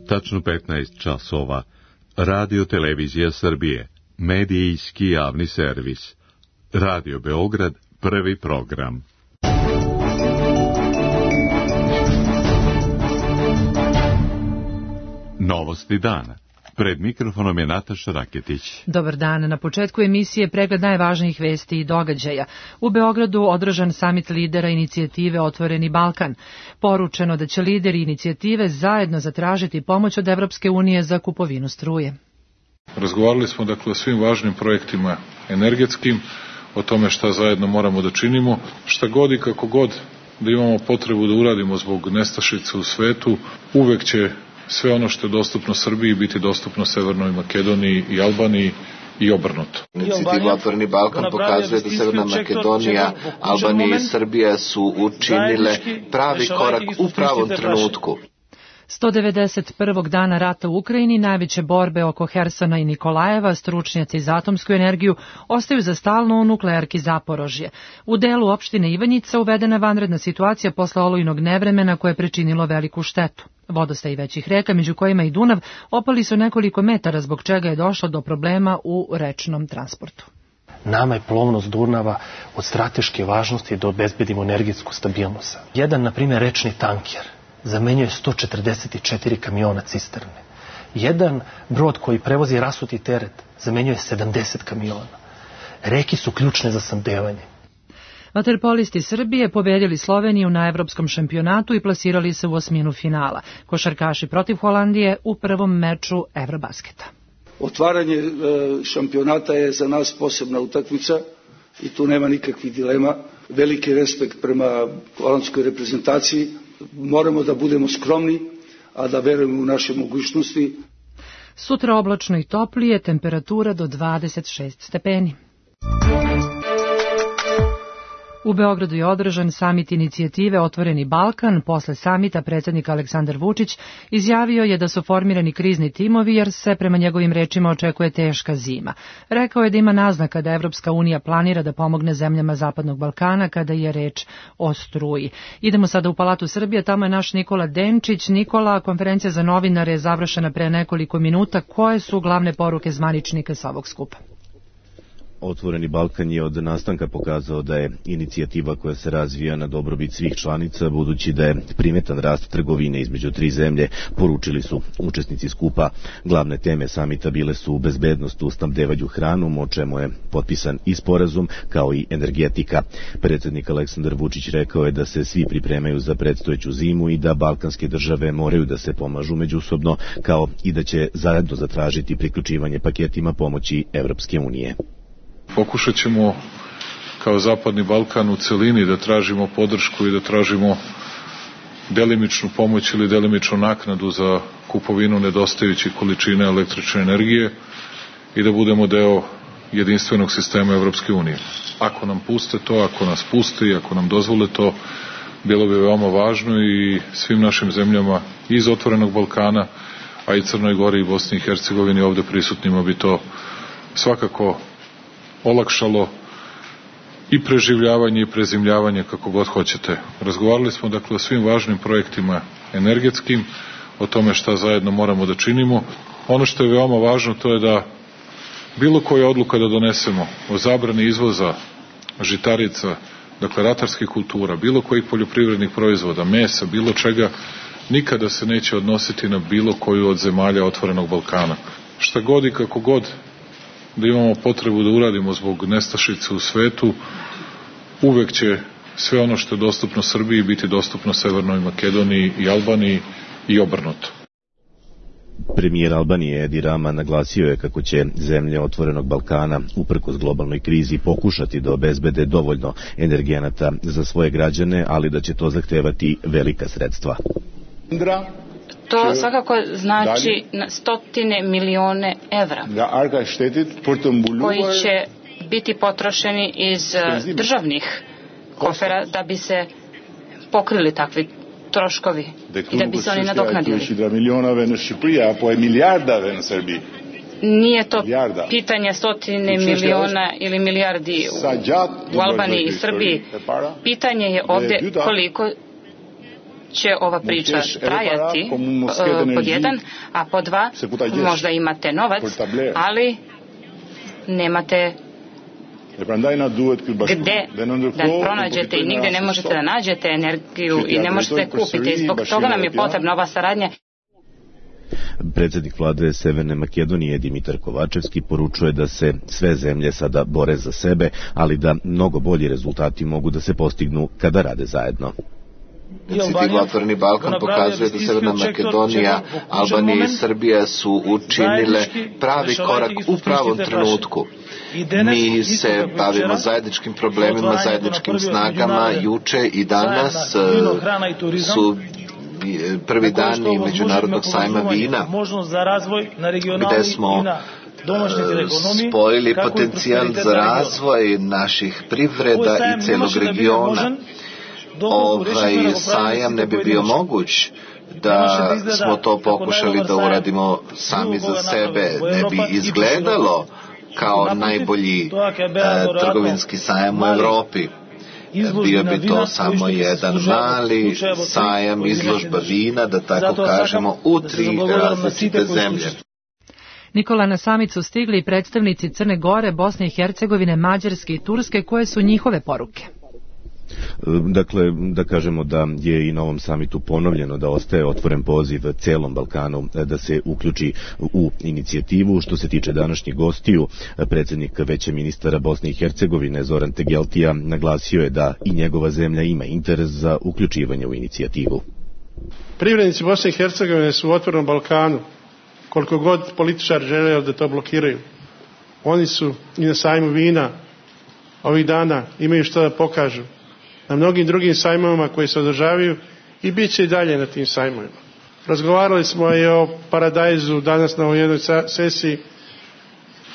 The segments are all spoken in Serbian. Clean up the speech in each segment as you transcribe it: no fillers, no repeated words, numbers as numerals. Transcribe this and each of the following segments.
Tačno 15 časova. Radio Televizija Srbije. Medijski javni servis. Radio Beograd, prvi program. Novosti dana. Pred mikrofonom je Nataša Raketić. Dobar dan. Na početku emisije pregled najvažnijih vesti i događaja. U Beogradu održan samit lidera inicijative Otvoreni Balkan. Poručeno da će lideri inicijative zajedno zatražiti pomoć od Evropske unije za kupovinu struje. Razgovarali smo o svim važnim projektima energetskim, o tome šta zajedno moramo da činimo, šta god i kako god da imamo potrebu da uradimo zbog nestašice u svetu, uvek će sve ono što je dostupno Srbiji biti dostupno Severnoj Makedoniji i Albaniji i obrnuto. Inicijativa Otvoreni Balkan pokazuje da Severna Makedonija, Albanija i Srbija su učinile pravi korak u pravom trenutku. 191. dana rata u Ukrajini, najveće borbe oko Hersona i Nikolajeva, stručnjaci za atomsku energiju, ostaju za stalno u nuklearki Zaporožje. U delu opštine Ivanjica uvedena vanredna situacija posle olujnog nevremena koje je pričinilo veliku štetu. Vodostaji većih reka, među kojima i Dunav, opali su nekoliko metara, zbog čega je došlo do problema u rečnom transportu. Nama je plovnost Dunava od strateške važnosti da obezbedimo energetsku stabilnost. Jedan, na primjer, rečni tanker zamenjuje 144 kamiona cisterne. Jedan brod koji prevozi rasuti teret zamenjuje 70 kamiona. Reke su ključne za snabdevanje. Vaterpolisti Srbije pobedili Sloveniju na evropskom šampionatu i plasirali se u osminu finala. Košarkaši protiv Holandije u prvom meču Evrobasketa. Otvaranje šampionata je za nas posebna utakmica i tu nema nikakvih dilema. Veliki respekt prema holandskoj reprezentaciji. Moramo da budemo skromni, a da verujemo u naše mogućnosti. Sutra oblačno i toplije, temperatura do 26 stepeni. U Beogradu je održan samit inicijative Otvoreni Balkan. Posle samita predsjednik Aleksandar Vučić izjavio je da su formirani krizni timovi jer se prema njegovim rečima očekuje teška zima. Rekao je da ima naznaka da Evropska unija planira da pomogne zemljama Zapadnog Balkana kada je reč o struji. Idemo sada u Palatu Srbije, tamo je naš Nikola Denčić. Nikola, konferencija za novinare je završena pre nekoliko minuta. Koje su glavne poruke zvaničnika sa ovog skupa? Otvoreni Balkan je od nastanka pokazao da je inicijativa koja se razvija na dobrobit svih članica, budući da je primetan rast trgovine između tri zemlje, poručili su učesnici skupa. Glavne teme samita bile su bezbednost u snabdevanju hranom, o čemu je potpisan i sporazum, kao i energetika. Predsjednik Aleksandar Vučić rekao je da se svi pripremaju za predstojeću zimu i da balkanske države moraju da se pomažu međusobno, kao i da će zajedno zatražiti priključivanje paketima pomoći Evropske unije. Pokušat ćemo kao Zapadni Balkan u celini da tražimo podršku i da tražimo delimičnu pomoć ili delimičnu naknadu za kupovinu nedostajućih količina električne energije i da budemo deo jedinstvenog sistema Evropske unije. Ako nam puste to, ako nas puste i ako nam dozvole to, bilo bi veoma važno i svim našim zemljama iz Otvorenog Balkana, a i Crnoj Gori i Bosni i Hercegovini ovde prisutnima bi to svakako olakšalo i preživljavanje i prezimljavanje, kako god hoćete. Razgovarali smo o svim važnim projektima energetskim, o tome šta zajedno moramo da činimo. Ono što je veoma važno to je da bilo koja odluka da donesemo o zabrani izvoza žitarica, ratarskih kultura, bilo kojih poljoprivrednih proizvoda, mesa, bilo čega, nikada se neće odnositi na bilo koju od zemalja Otvorenog Balkana. Šta god i kako god da imamo potrebu da uradimo zbog nestašice u svetu, uvek će sve ono što je dostupno Srbiji biti dostupno Severnoj Makedoniji i Albaniji i obrnuto. Premijer Albanije Edi Rama naglasio je kako će zemlje Otvorenog Balkana uprkos globalnoj krizi pokušati da obezbede dovoljno energenata za svoje građane, ali da će to zahtevati velika sredstva. To svakako znači stotine milione evra koji će biti potrošeni iz državnih kofera da bi se pokrili takvi troškovi i da bi se oni nadoknadili. Nije to pitanje stotine miliona ili milijardi u Albaniji i Srbiji. Pitanje je ovdje koliko će ova priča trajati, pod jedan, a pod dva, možda imate novac, ali nemate gde da pronađete i nigde ne možete da nađete energiju i ne možete kupiti. I zbog toga nam je potrebna ova saradnja. Predsjednik vlade Severne Makedonije Dimitar Kovačevski poručuje da se sve zemlje sada bore za sebe, ali da mnogo bolji rezultati mogu da se postignu kada rade zajedno. Inicijativa Otvoreni Balkan pokazuje da Severna Makedonija, Albanija i Srbija su učinile pravi korak u pravom trenutku. Mi se bavimo zajedničkim problemima, zajedničkim snagama. Juče i danas su prvi dani Međunarodnog sajma vina, gde smo spojili potencijal za razvoj naših privreda i celog regiona. Ovaj sajam ne bi bio moguć da smo to pokušali da uradimo sami za sebe. Ne bi izgledalo kao najbolji trgovinski sajam u Evropi. Bio bi to samo jedan mali sajam, izložba vina, da tako kažemo, u 3 različite zemlje. Nikola, na samit su stigli i predstavnici Crne Gore, Bosne i Hercegovine, Mađarske i Turske. Koje su njihove poruke? Dakle, da kažemo da je i na ovom samitu ponovljeno da ostaje otvoren poziv celom Balkanu da se uključi u inicijativu. Što se tiče današnjih gostiju, predsjednik Veća ministara Bosne i Hercegovine Zoran Tegeltija naglasio je da i njegova zemlja ima interes za uključivanje u inicijativu. Privrednici Bosne i Hercegovine su u otvorenom Balkanu, koliko god političari žele da to blokiraju. Oni su i na sajmu vina ovih dana, imaju što da pokažu. Na mnogim drugim sajmovima koji se održavaju i bit će i dalje na tim sajmovima. Razgovarali smo i o Paradajzu danas na ovoj jednoj sesiji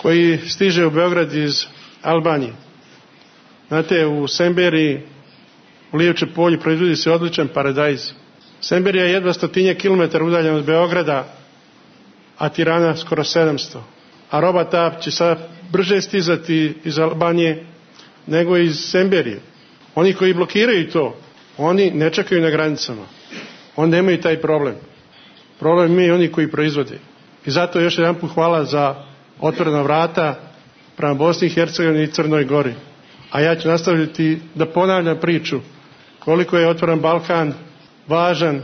koji stiže u Beograd iz Albanije. Znate, u Semberiji, u Lijevče polju proizvodi se odličan paradajz. Semberija je jedva 100 kilometara udaljena od Beograda, a Tirana skoro 700. A roba ta će sad brže stizati iz Albanije nego iz Semberije. Oni koji blokiraju to, oni ne čekaju na granicama. Oni nemaju taj problem. Problem imaju oni koji proizvode. I zato još jedan put hvala za otvorena vrata prema Bosni i Hercegovini i Crnoj Gori. A ja ću nastaviti da ponavljam priču koliko je otvoren Balkan važan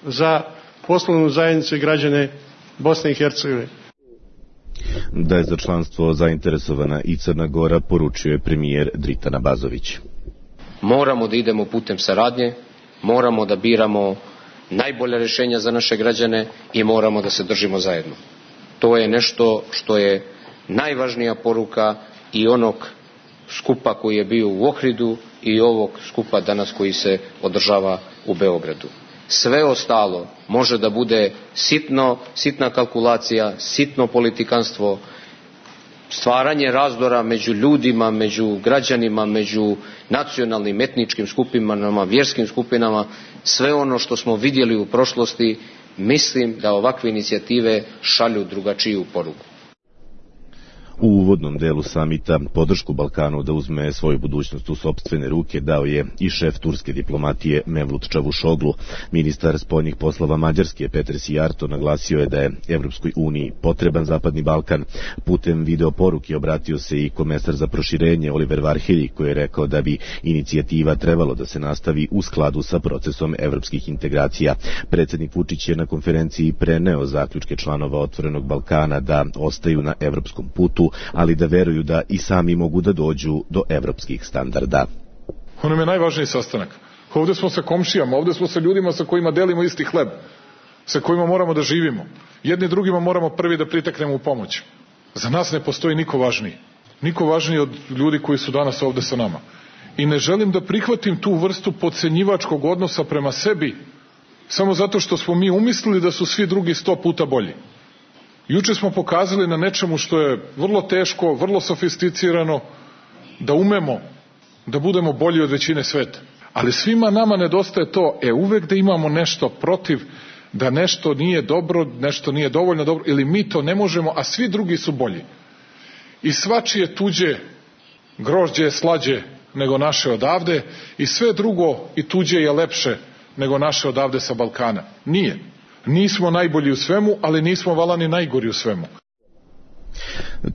za poslovnu zajednicu i građane Bosne i Hercegovine. Da je za članstvo zainteresovana i Crna Gora, poručio je premijer Dritan Abazović. Moramo da idemo putem saradnje, moramo da biramo najbolja rješenja za naše građane i moramo da se držimo zajedno. To je nešto što je najvažnija poruka i onog skupa koji je bio u Ohridu i ovog skupa danas koji se održava u Beogradu. Sve ostalo može da bude sitna kalkulacija, sitno politikanstvo, stvaranje razdora među ljudima, među građanima, među nacionalnim, etničkim skupinama, vjerskim skupinama. Sve ono što smo vidjeli u prošlosti, mislim da ovakve inicijative šalju drugačiju poruku. U uvodnom delu samita podršku Balkanu da uzme svoju budućnost u sopstvene ruke dao je i šef turske diplomatije Mevlut Čavuşoglu. Ministar spoljnih poslova Mađarske Peter Sijarto naglasio je da je Evropskoj uniji potreban Zapadni Balkan. Putem video poruke obratio se i komesar za proširenje Oliver Varhelyi, koji je rekao da bi inicijativa trebalo da se nastavi u skladu sa procesom evropskih integracija. Predsjednik Vučić je na konferenciji preneo zaključke članova Otvorenog Balkana da ostaju na evropskom putu, ali da veruju da i sami mogu da dođu do evropskih standarda. Ono je najvažniji sastanak. Ovdje smo sa komšijama, ovdje smo sa ljudima sa kojima delimo isti hleb, sa kojima moramo da živimo. Jedni drugima moramo prvi da priteknemo u pomoć. Za nas ne postoji niko važniji. Niko važniji od ljudi koji su danas ovdje sa nama. I ne želim da prihvatim tu vrstu podcenjivačkog odnosa prema sebi, samo zato što smo mi umislili da su svi drugi 100 puta bolji. Juče smo pokazali na nečemu što je vrlo teško, vrlo sofisticirano, da umemo da budemo bolji od većine sveta. Ali svima nama nedostaje to, uvek da imamo nešto protiv, da nešto nije dobro, nešto nije dovoljno dobro, ili mi to ne možemo, a svi drugi su bolji. I svačije tuđe grožđe je slađe nego naše odavde, i sve drugo i tuđe je lepše nego naše odavde sa Balkana. Nije. Nismo najbolji u svemu, ali nismo vala ni najgori u svemu.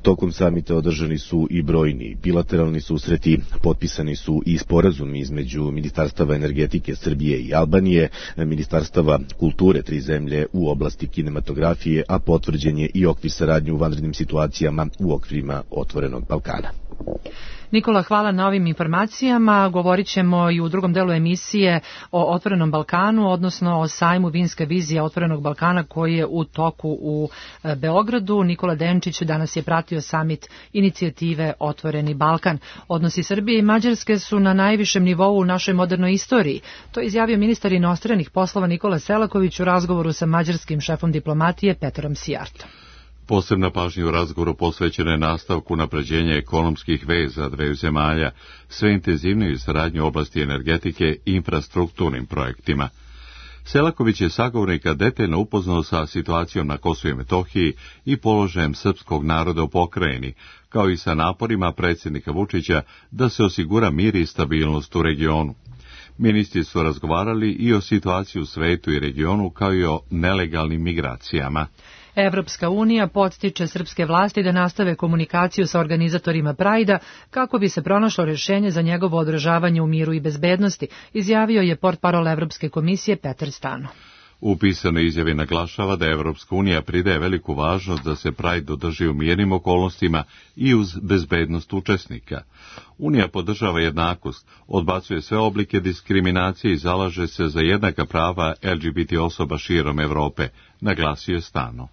Tokom samita održani su i brojni bilateralni susreti, potpisani su i sporazumi između Ministarstava energetike Srbije i Albanije, Ministarstava kulture tri zemlje u oblasti kinematografije, a potvrđen je i okvir saradnje u vanrednim situacijama u okvirima Otvorenog Balkana. Nikola, hvala na ovim informacijama. Govorit ćemo i u drugom delu emisije o Otvorenom Balkanu, odnosno o sajmu Vinska vizija Otvorenog Balkana koji je u toku u Beogradu. Nikola Denčić danas je pratio samit inicijative Otvoreni Balkan. Odnosi Srbije i Mađarske su na najvišem nivou u našoj modernoj istoriji. To je izjavio ministar inostranih poslova Nikola Selaković u razgovoru sa mađarskim šefom diplomatije Petrom Sijartom. Posebna pažnja u razgovoru posvećena je nastavku unapređenja ekonomskih veza dveju zemalja, sve intenzivniju saradnju u oblasti energetike i infrastrukturnim projektima. Selaković je sagovornika detaljno upoznao sa situacijom na Kosovu i Metohiji i položajem srpskog naroda u pokrajini, kao i sa naporima predsjednika Vučića da se osigura mir i stabilnost u regionu. Ministri su razgovarali i o situaciji u svetu i regionu, kao i o nelegalnim migracijama. Evropska unija podstiče srpske vlasti da nastave komunikaciju sa organizatorima Prajda kako bi se pronašlo rješenje za njegovo održavanje u miru i bezbednosti, izjavio je portparol Evropske komisije Petar Stano. U pisanoj izjavi naglašava da Evropska unija pridaje veliku važnost da se Pride održi u mirnim okolnostima i uz bezbednost učesnika. Unija podržava jednakost, odbacuje sve oblike diskriminacije i zalaže se za jednaka prava LGBT osoba širom Evrope, naglasio je Stano.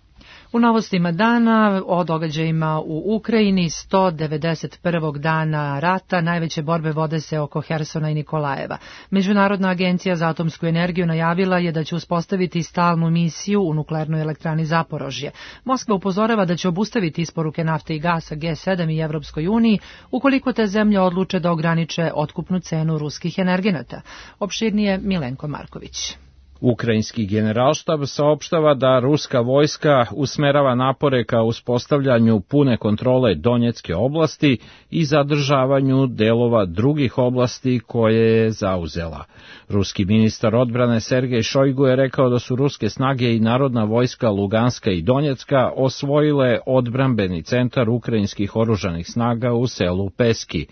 U novostima dana o događajima u Ukrajini, 191. dana rata, najveće borbe vode se oko Hersona i Nikolajeva. Međunarodna agencija za atomsku energiju najavila je da će uspostaviti stalnu misiju u nuklearnoj elektrani Zaporožje. Moskva upozorava da će obustaviti isporuke nafte i gasa G7 i Evropskoj uniji ukoliko te zemlje odluče da ograniče otkupnu cenu ruskih energenata. Opširnije Milenko Marković. Ukrajinski generalštab saopštava da ruska vojska usmerava napore ka uspostavljanju pune kontrole Donjecke oblasti i zadržavanju delova drugih oblasti koje je zauzela. Ruski ministar odbrane Sergej Šojgu je rekao da su ruske snage i narodna vojska Luganska i Donjecka osvojile odbrambeni centar ukrajinskih oružanih snaga u selu Peski.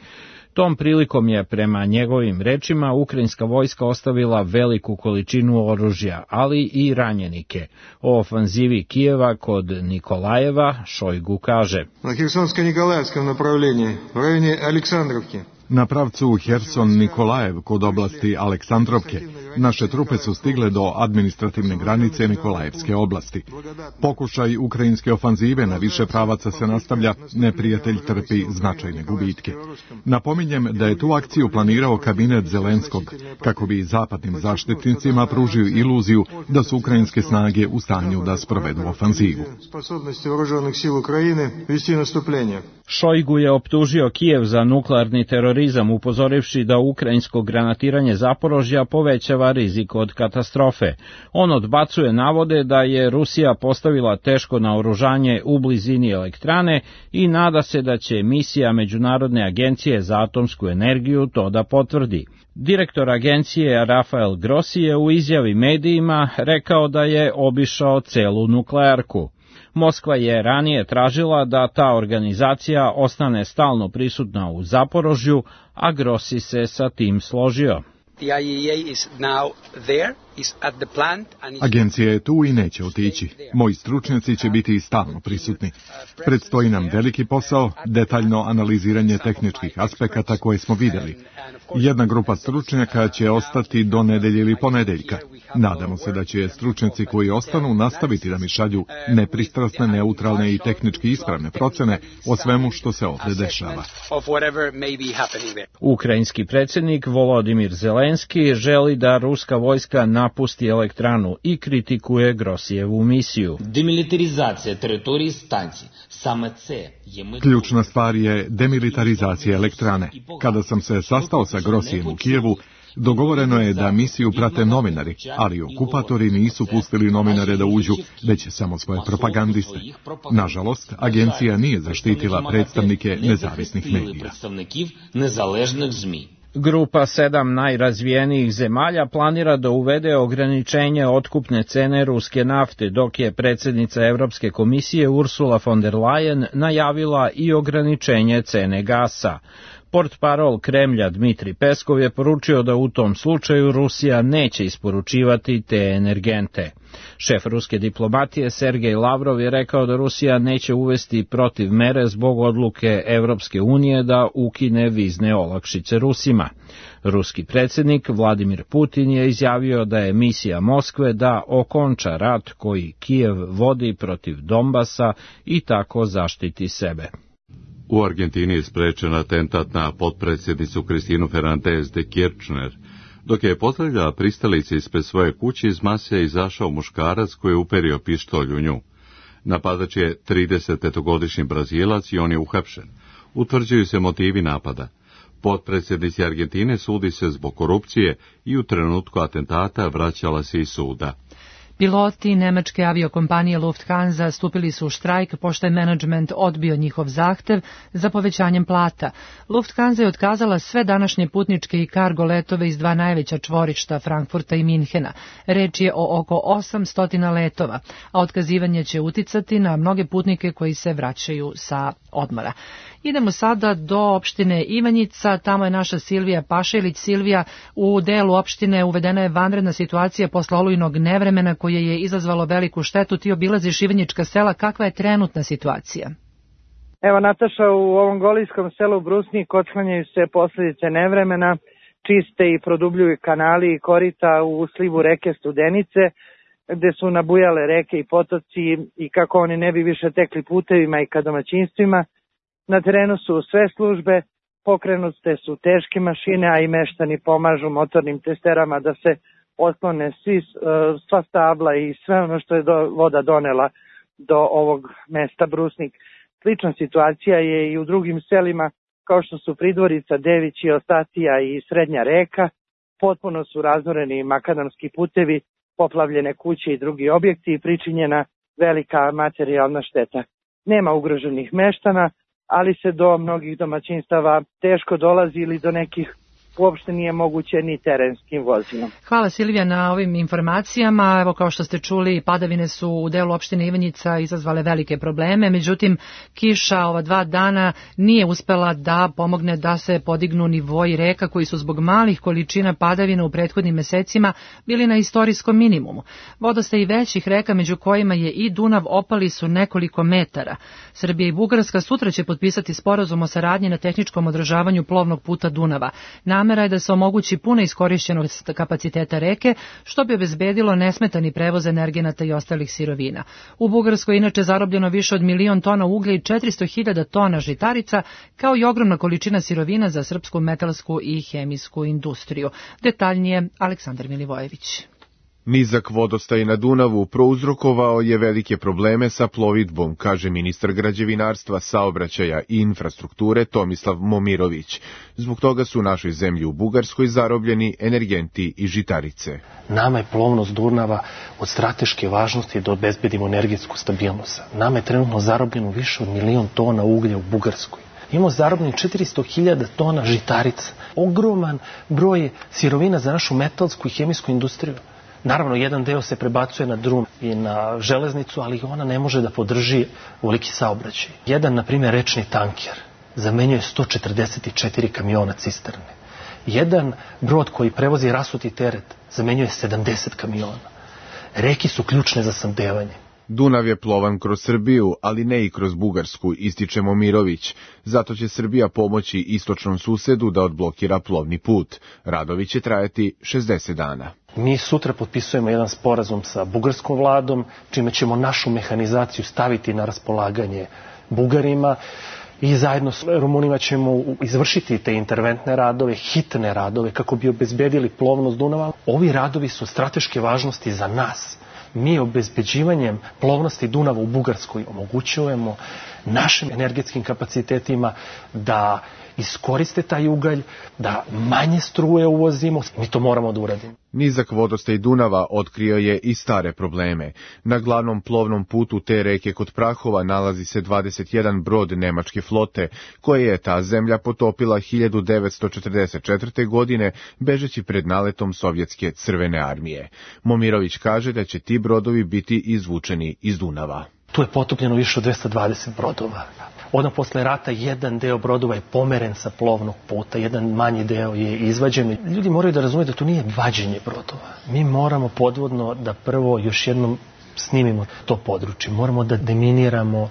Tom prilikom je, prema njegovim rečima, ukrajinska vojska ostavila veliku količinu oružja, ali i ranjenike. O ofanzivi Kijeva kod Nikolajeva Šojgu kaže: Na Hersonsko-Nikolaevskom направлении, u rajoni Aleksandrovke. Na pravcu Herson-Nikolajev kod oblasti Aleksandrovke naše trupe su stigle do administrativne granice Nikolajevske oblasti. Pokušaj ukrajinske ofanzive na više pravaca se nastavlja, neprijatelj trpi značajne gubitke. Napominjem da je tu akciju planirao kabinet Zelenskog, kako bi zapadnim zaštitnicima pružio iluziju da su ukrajinske snage u stanju da sprovedu ofanzivu. Šojgu je optužio Kijev za nuklearni terorizam, upozorivši da ukrajinsko granatiranje Zaporožja povećava rizik od katastrofe. On odbacuje navode da je Rusija postavila teško naoružanje u blizini elektrane i nada se da će misija Međunarodne agencije za atomsku energiju to da potvrdi. Direktor agencije Rafael Grossi je u izjavi medijima rekao da je obišao celu nuklearku. Moskva je ranije tražila da ta organizacija ostane stalno prisutna u Zaporožju, a Grossi se sa tim složio. Agencija je tu i neće otići. Moji stručnjaci će biti stalno prisutni. Predstoji nam veliki posao, detaljno analiziranje tehničkih aspekata koje smo vidjeli. Jedna grupa stručnjaka će ostati do nedelje ili ponedeljka. Nadamo se da će stručnjaci koji ostanu nastaviti da mi šalju nepristrasne, neutralne i tehnički ispravne procene o svemu što se ovdje dešava. Ukrajinski predsjednik Volodimir Zelenski želi da ruska vojska napusti elektranu i kritikuje Grossijevu misiju. Demilitarizacija teritoriji stancije. Ključna stvar je demilitarizacija elektrane. Kada sam se sastao sa Grossijem u Kijevu, dogovoreno je da misiju prate novinari, ali okupatori nisu pustili novinare da uđu, već samo svoje propagandiste. Nažalost, agencija nije zaštitila predstavnike nezavisnih medija. Grupa 7 najrazvijenijih zemalja planira da uvede ograničenje otkupne cene ruske nafte, dok je predsjednica Evropske komisije Ursula von der Leyen najavila i ograničenje cene gasa. Portparol Kremlja Dmitri Peskov je poručio da u tom slučaju Rusija neće isporučivati te energente. Šef ruske diplomatije Sergej Lavrov je rekao da Rusija neće uvesti protiv mere zbog odluke Evropske unije da ukine vizne olakšice Rusima. Ruski predsjednik Vladimir Putin je izjavio da je misija Moskve da okonča rat koji Kijev vodi protiv Donbasa i tako zaštiti sebe. U Argentini je sprečen atentat na potpredsjednicu Kristinu Fernández de Kirchner. Dok je pozdravljala pristalice ispred svoje kuće, iz mase je izašao muškarac koji je uperio pištolj u nju. Napadač je 35-godišnji Brazilac i on je uhapšen. Utvrđuju se motivi napada. Potpredsjednici Argentine sudi se zbog korupcije i u trenutku atentata vraćala se iz suda. Piloti nemačke aviokompanije Lufthansa stupili su u štrajk pošto je menadžment odbio njihov zahtev za povećanjem plata. Lufthansa je otkazala sve današnje putničke i kargo letove iz dva najveća čvorišta Frankfurta i Minhena. Reč je o oko 800 letova, a otkazivanje će uticati na mnoge putnike koji se vraćaju sa odmora. Idemo sada do opštine Ivanjica, tamo je naša Silvija Pašelić. Silvija, u delu opštine uvedena je vanredna situacija posle olujnog nevremena koje je izazvalo veliku štetu. Ti obilaziš Ivanjička sela, kakva je trenutna situacija? Evo, Nataša, u ovom golijskom selu Brusnik otklanjaju se posljedice nevremena, čiste i produbljuju kanali i korita u slivu reke Studenice, gde su nabujale reke i potoci i kako oni ne bi više tekli putevima i ka domaćinstvima. Na terenu su sve službe, pokrenute su teške mašine, a i meštani pomažu motornim testerama da se otklone sva stabla i sve ono što je voda donela do ovog mesta Brusnik. Slična situacija je i u drugim selima kao što su Pridvorica, Devići, Ostatija i Srednja reka. Potpuno su razoreni makadamski putevi, poplavljene kuće i drugi objekti i pričinjena velika materijalna šteta. Nema ugroženih meštana, ali se do mnogih domaćinstava teško dolazi ili do nekih uopšte nije moguće ni terenskim vozilom. Hvala Silvija na ovim informacijama. Evo, kao što ste čuli, padavine su u delu opštine Ivanjica izazvale velike probleme, međutim kiša ova 2 dana nije uspela da pomogne da se podignu nivoi reka koji su zbog malih količina padavina u prethodnim mesecima bili na istorijskom minimumu. Vodostaj većih reka, među kojima je i Dunav, opali su nekoliko metara. Srbija i Bugarska sutra će potpisati sporazum o saradnji na tehničkom održavanju plovnog puta Dunava. Namera je da se omogući puna iskorišćenost kapaciteta reke, što bi obezbedilo nesmetani prevoz energenata i ostalih sirovina. U Bugarskoj je inače zarobljeno više od 1.000.000 tona uglja i 400.000 tona žitarica, kao i ogromna količina sirovina za srpsku metalsku i hemijsku industriju. Detaljnije Aleksandar Milivojević. Nizak vodostaj na Dunavu prouzrokovao je velike probleme sa plovidbom, kaže ministar građevinarstva, saobraćaja i infrastrukture Tomislav Momirović. Zbog toga su u našoj zemlji u Bugarskoj zarobljeni energenti i žitarice. Nama je plovnost Dunava od strateške važnosti da obezbedimo energetsku stabilnost. Nama je trenutno zarobljeno više od 1.000.000 tona uglja u Bugarskoj. Imamo zarobljen 400.000 tona žitarica. Ogroman broj sirovina za našu metalsku i hemijsku industriju. Naravno, jedan deo se prebacuje na drum i na železnicu, ali ona ne može da podrži veliki saobraćaj. Jedan, na primjer, rečni tanker zamenjuje 144 kamiona cisterne. Jedan brod koji prevozi rasuti teret zamenjuje 70 kamiona. Reke su ključne za snabdevanje. Dunav je plovan kroz Srbiju, ali ne i kroz Bugarsku, ističe Momirović. Zato će Srbija pomoći istočnom susedu da odblokira plovni put. Radovi će trajati 60 dana. Mi sutra potpisujemo jedan sporazum sa bugarskom vladom, čime ćemo našu mehanizaciju staviti na raspolaganje Bugarima i zajedno s Rumunima ćemo izvršiti te interventne radove, hitne radove, kako bi obezbedili plovnost Dunava. Ovi radovi su strateške važnosti za nas. Mi obezbeđivanjem plovnosti Dunava u Bugarskoj omogućujemo našim energetskim kapacitetima da iskoriste taj ugalj, da manje struje uvozimo. Mi to moramo da uradimo. Nizak vodostaj Dunava otkrio je i stare probleme. Na glavnom plovnom putu te reke kod Prahova nalazi se 21 brod nemačke flote, koje je ta zemlja potopila 1944. godine, bežeći pred naletom sovjetske crvene armije. Momirović kaže da će ti brodovi biti izvučeni iz Dunava. Tu je potopljeno više od 220 brodova. Odmah posle rata jedan deo brodova je pomeren sa plovnog puta, jedan manji deo je izvađen. Ljudi moraju da razumiju da to nije vađenje brodova. Mi moramo podvodno da prvo još jednom snimimo to područje. Moramo da deminiramo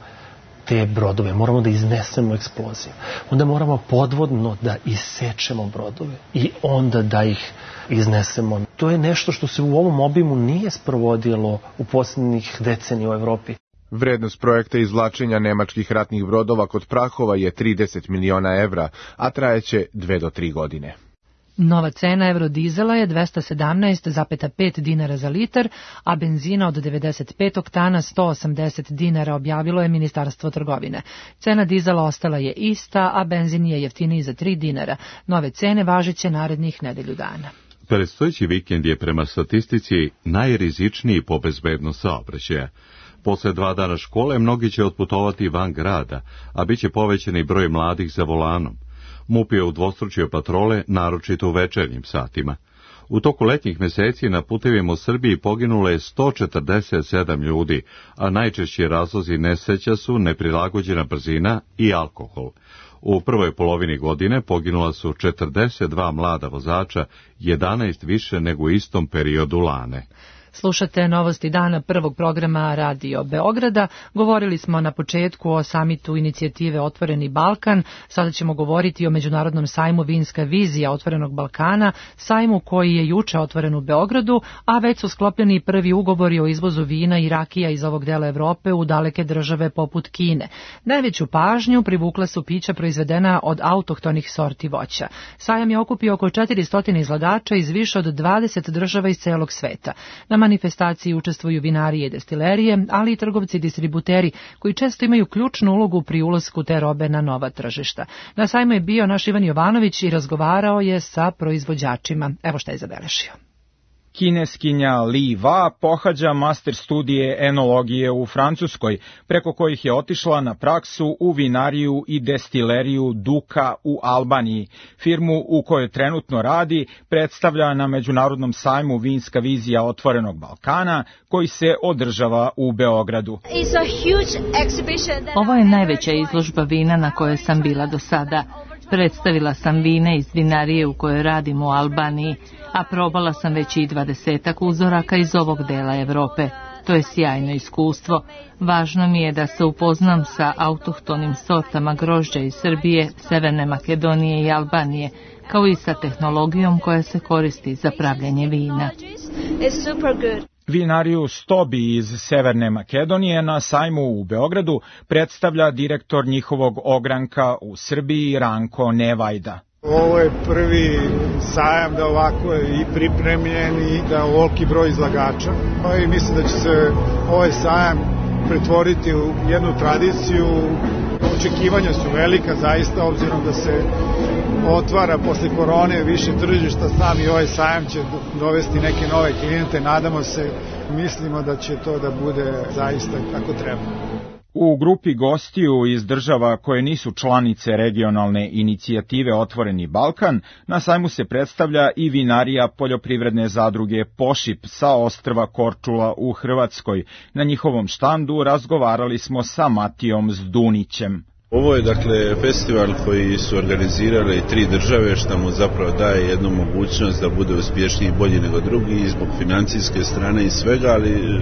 te brodove, moramo da iznesemo eksploziju. Onda moramo podvodno da isečemo brodove i onda da ih iznesemo. To je nešto što se u ovom obimu nije sprovodilo u posljednjih decenija u Evropi. Vrednost projekta izvlačenja nemačkih ratnih brodova kod Prahova je 30 miliona evra, a trajeće 2 do 3 godine. Nova cena eurodizela je 217,5 dinara za litar, a benzina od 95 oktana 180 dinara, objavilo je Ministarstvo trgovine. Cena dizela ostala je ista, a benzin je jeftiniji za 3 dinara. Nove cene važeće narednih nedelju dana. Predstojeći vikend je prema statistici najrizičniji po bezbednost saobraćaja. Posle 2 dana škole mnogi će otputovati van grada, a bit će povećani broj mladih za volanom. MUP je udvostručio patrole, naročito u večernjim satima. U toku letnjih meseci na putevima u Srbiji poginulo je 147 ljudi, a najčešći razlozi nesreća su neprilagođena brzina i alkohol. U prvoj polovini godine poginula su 42 mlada vozača, 11 više nego u istom periodu lane. Slušate novosti dana prvog programa Radio Beograda. Govorili smo na početku o samitu inicijative Otvoreni Balkan. Sada ćemo govoriti o međunarodnom sajmu Vinska vizija Otvorenog Balkana, sajmu koji je juče otvoren u Beogradu, a već su sklopljeni prvi ugovori o izvozu vina i rakija iz ovog dela Evrope u daleke države poput Kine. Najveću pažnju privukla su pića proizvedena od autohtonih sorti voća. Sajam je okupio oko 400 izlagača iz više od 20 država iz celog sveta. Na manifestaciji učestvuju vinarije i destilerije, ali i trgovci i distributeri koji često imaju ključnu ulogu pri ulasku te robe na nova tržišta. Na sajmu je bio naš Ivan Jovanović i razgovarao je sa proizvođačima. Evo šta je zabeležio. Kineskinja Li Va pohađa master studije enologije u Francuskoj, preko kojih je otišla na praksu u vinariju i destileriju Duka u Albaniji. Firmu u kojoj trenutno radi predstavlja na međunarodnom sajmu Vinska vizija Otvorenog Balkana, koji se održava u Beogradu. Ovo je najveća izložba vina na kojoj sam bila do sada. Predstavila sam vine iz vinarije u kojoj radim u Albaniji, a probala sam već i 20 uzoraka iz ovog dela Evrope. To je sjajno iskustvo. Važno mi je da se upoznam sa autohtonim sortama grožđa iz Srbije, Severne Makedonije i Albanije, kao i sa tehnologijom koja se koristi za pravljenje vina. Vinariju Stobi iz Severne Makedonije na sajmu u Beogradu predstavlja direktor njihovog ogranka u Srbiji Ranko Nevajda. Ovo je prvi sajam da ovako je i pripremljen i da ovoliki broj izlagača. I mislim da će se ovaj sajam pretvoriti u jednu tradiciju. Očekivanja su velika zaista, obzirom da se otvara posle korone više tržišta, sami ovaj sajam će dovesti neke nove klijente, nadamo se, mislimo da će to da bude zaista kako treba. U grupi gostiju iz država koje nisu članice regionalne inicijative Otvoreni Balkan, na sajmu se predstavlja i vinarija poljoprivredne zadruge Pošip sa ostrva Korčula u Hrvatskoj. Na njihovom štandu razgovarali smo sa Matijom Zdunićem. Ovo je dakle festival koji su organizirale 3 države, što mu zapravo daje jednu mogućnost da bude uspješniji i bolji nego drugi i zbog financijske strane i svega, ali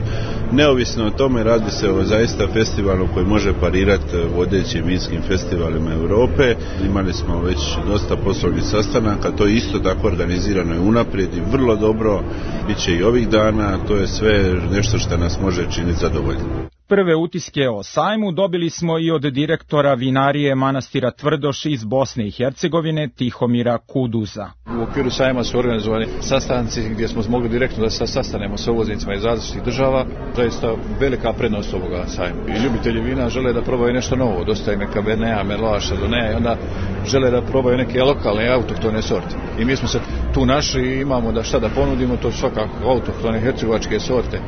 neovisno o tome radi se o zaista festivalu koji može parirati vodećim vinskim festivalima Europe. Imali smo već dosta poslovnih sastanaka, to je isto tako organizirano i unaprijed i vrlo dobro, bit će i ovih dana, to je sve nešto što nas može činiti zadovoljno. Prve utiske o sajmu dobili smo i od direktora vinarije manastira Tvrdoš iz Bosne i Hercegovine Tihomira Kuduza. U okviru sajma su organizovani sastanci gdje smo mogli direktno da se sastanemo sa uvoznicima iz različitih država. Zaista velika prednost ovoga sajma. I ljubitelji vina žele da probaju nešto novo. Dosta je Kabernea, Merlot, Chardonnay i onda žele da probaju neke lokalne autohtone sorte. I mi smo se tu našli i imamo da šta da ponudimo, to svakako autohtone hercegovačke sorte,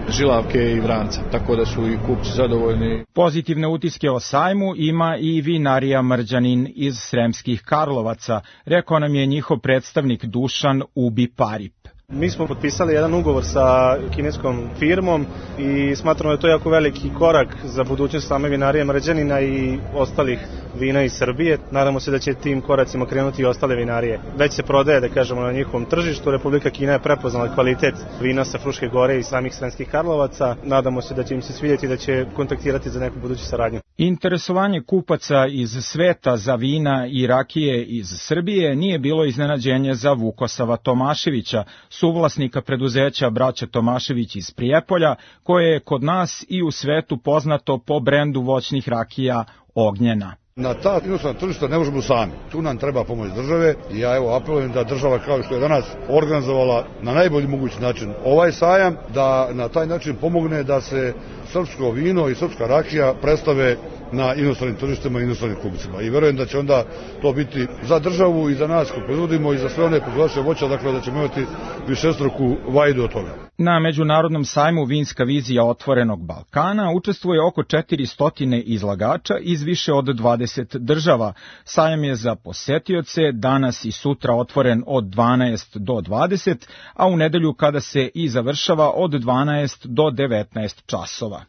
žilavke i vranca, tako da su i kupci zadovoljni. Pozitivne utiske o sajmu ima i vinarija Mrđanin iz Sremskih Karlovaca, rekao nam je njihov predstavnik Dušan Ubi Parip. Mi smo potpisali jedan ugovor sa kineskom firmom i smatramo da je to jako veliki korak za budućnost same vinarije Mrđanina i ostalih vina iz Srbije. Nadamo se da će tim koracima krenuti i ostale vinarije. Već se prodaje, da kažemo, na njihovom tržištu. Republika Kina je prepoznala kvalitet vina sa Fruške gore i samih Sremskih Karlovaca. Nadamo se da će im se svidjeti, da će kontaktirati za neku buduću saradnju. Interesovanje kupaca iz sveta za vina i rakije iz Srbije nije bilo iznenađenje za Vukosava Tomaševića, suvlasnika preduzeća Braća Tomašević iz Prijepolja, koje je kod nas i u svetu poznato po brendu voćnih rakija Ognjena. Na ta inostrana tržišta ne možemo sami. Tu nam treba pomoć države i ja apelujem da država, kao što je danas organizovala na najbolji mogući način ovaj sajam, da na taj način pomogne da se srpsko vino i srpska rakija predstave na inostranim tržištima i inostranim kupcima. I verujem da će onda to biti za državu i za nas ko proizvodimo i za sve one proizvođače voća, dakle da ćemo imati višestruku vajdu od toga. Na Međunarodnom sajmu Vinska vizija otvorenog Balkana učestvuje oko 400 izlagača iz više od 20 država. Sajam je za posetioce danas i sutra otvoren od 12 do 20, a u nedelju kada se i završava od 12 do 19 časova.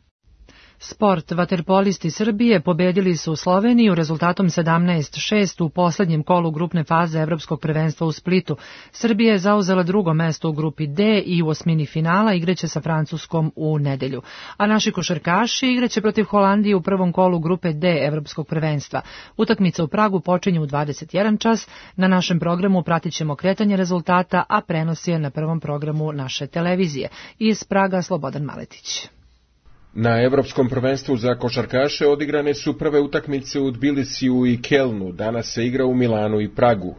Sport. Vaterpolisti Srbije pobedili su Sloveniju rezultatom 17-6 u poslednjem kolu grupne faze Evropskog prvenstva u Splitu. Srbija je zauzela drugo mesto u grupi D i u osmini finala igraće sa Francuskom u nedelju. A naši košarkaši igraće protiv Holandije u prvom kolu grupe D Evropskog prvenstva. Utakmica u Pragu počinje u 21 čas. Na našem programu pratit ćemo kretanje rezultata, a prenos je na prvom programu naše televizije. Iz Praga Slobodan Maletić. Na Evropskom prvenstvu za košarkaše odigrane su prve utakmice u Tbilisiju i Kelnu, danas se igra u Milanu i Pragu.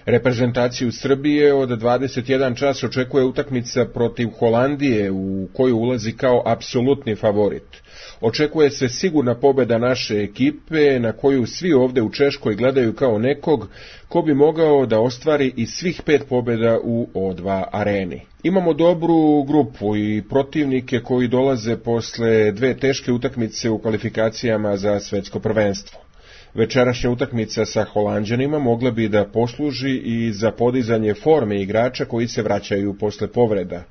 Reprezentaciju Srbije od 21 čas očekuje utakmica protiv Holandije u koju ulazi kao apsolutni favorit. Očekuje se sigurna pobjeda naše ekipe na koju svi ovdje u Češkoj gledaju kao nekog ko bi mogao da ostvari i svih 5 pobjeda u O2 areni. Imamo dobru grupu i protivnike koji dolaze posle 2 teške utakmice u kvalifikacijama za svetsko prvenstvo. Večerašnja utakmica sa Holanđanima mogla bi da posluži i za podizanje forme igrača koji se vraćaju posle povreda.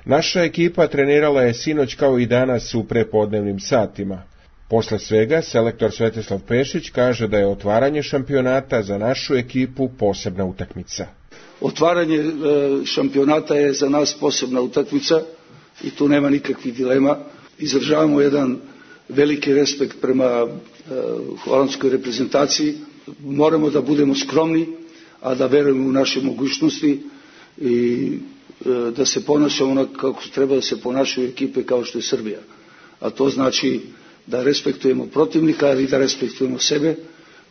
Naša ekipa trenirala je sinoć kao i danas u prepodnevnim satima. Posle svega, selektor Svetislav Pešić kaže da je otvaranje šampionata za našu ekipu posebna utakmica. Otvaranje šampionata je za nas posebna utakmica i tu nema nikakvih dilema. Izražavamo jedan veliki respekt prema holandskoj reprezentaciji. Moramo da budemo skromni, a da verujemo u naše mogućnosti i da se ponašamo onako kako treba da se ponašaju ekipe kao što je Srbija. A to znači da respektujemo protivnika i da respektujemo sebe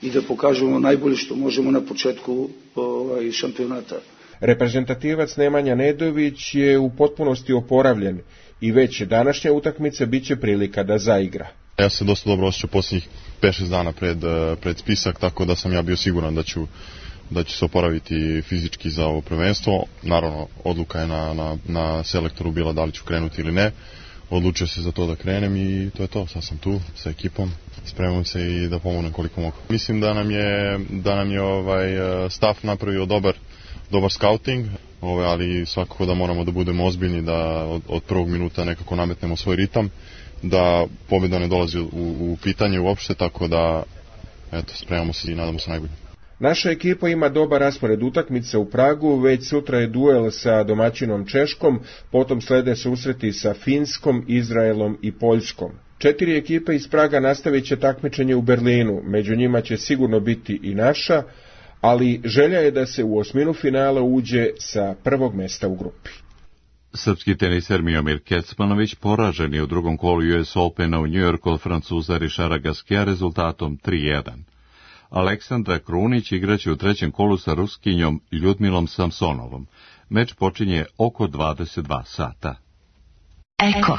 i da pokažemo najbolje što možemo na početku šampionata. Reprezentativac Nemanja Nedović je u potpunosti oporavljen i već današnja utakmica biće prilika da zaigra. Ja se dosta dobro osjećao posljednjih 5-6 dana pred spisak, tako da sam ja bio siguran da ću se oporaviti fizički za ovo prvenstvo. Naravno, odluka je na selektoru bila da li ću krenuti ili ne. Odlučio se za to da krenem i to je to. Sad sam tu sa ekipom, spremam se i da pomognem koliko mogu. Mislim da nam je staff napravio dobar scouting, ali svakako da moramo da budemo ozbiljni, da od prvog minuta nekako nametnemo svoj ritam, da pobjeda ne dolazi u pitanje uopšte, tako da spremamo se i nadamo se najbolje. Naša ekipa ima dobar raspored utakmica u Pragu, već sutra je duel sa domaćinom Češkom, potom slede susreti sa Finskom, Izraelom i Poljskom. 4 ekipe iz Praga nastavit će takmičenje u Berlinu, među njima će sigurno biti i naša, ali želja je da se u osminu finala uđe sa prvog mesta u grupi. Srpski teniser Miomir Kecmanović poražen je u drugom kolu US Opena u New Yorku od Francuza Richarda Gasquet'a rezultatom 3:1. Aleksandra Krunić igraće u trećem kolu sa Ruskinjom Ljudmilom Samsonovom. Meč počinje oko 22 sata. Eko.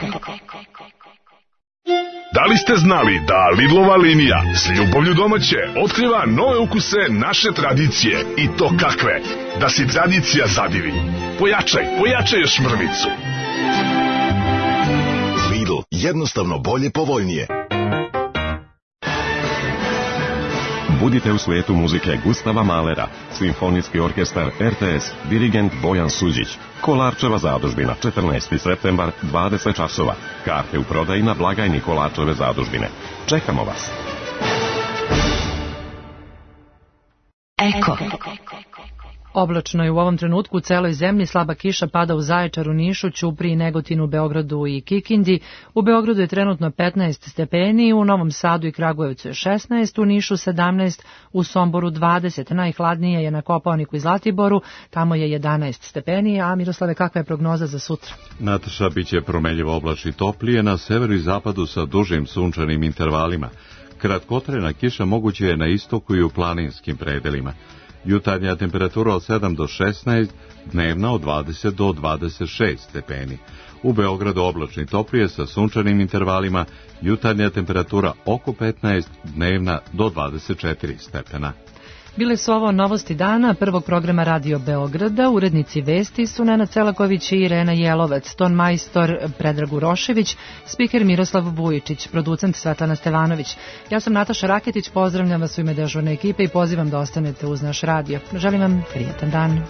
Da li ste znali da Lidlova linija s ljubavlju domaće otkriva nove ukuse naše tradicije i to kakve? Da si tradicija zadivi. Pojačaj još mrvicu. Lidl, jednostavno bolje, povoljnije. Budite u svijetu muzike Gustava Mahlera, Simfonijski orkestar RTS, dirigent Bojan Suđić, Kolarčeva zadužbina, 14. septembar, 20 časova. Karte u prodaji na blagajni Kolarčeve zadužbine. Čekamo vas. Eko. Oblačno je u ovom trenutku u celoj zemlji, slaba kiša pada u Zaječaru, Nišu, Ćupriji, Negotinu, Beogradu i Kikindi. U Beogradu je trenutno 15 stepeni, u Novom Sadu i Kragujevcu je 16, u Nišu 17, u Somboru 20, najhladnije je na Kopaoniku i Zlatiboru, tamo je 11 stepeni, a Miroslave, kakva je prognoza za sutra? Nataša, biće promenljivo oblačno i toplije, na severu i zapadu sa dužim sunčanim intervalima. Kratkotrajna kiša moguće je na istoku i u planinskim predelima. Jutarnja temperatura od 7 do 16, dnevna od 20 do 26 stepeni. U Beogradu oblačni toplije sa sunčanim intervalima, jutarnja temperatura oko 15, dnevna do 24 stepena. Bile su ovo novosti dana prvog programa Radio Beograda. Urednici vesti su Nenad Celaković i Irena Jelovac, ton majstor Predrag Urošević, spiker Miroslav Vujičić, producent Svetlana Stevanović. Ja sam Nataša Raketić, pozdravljam vas u ime dežurne ekipe i pozivam da ostanete uz naš radio. Želim vam prijetan dan.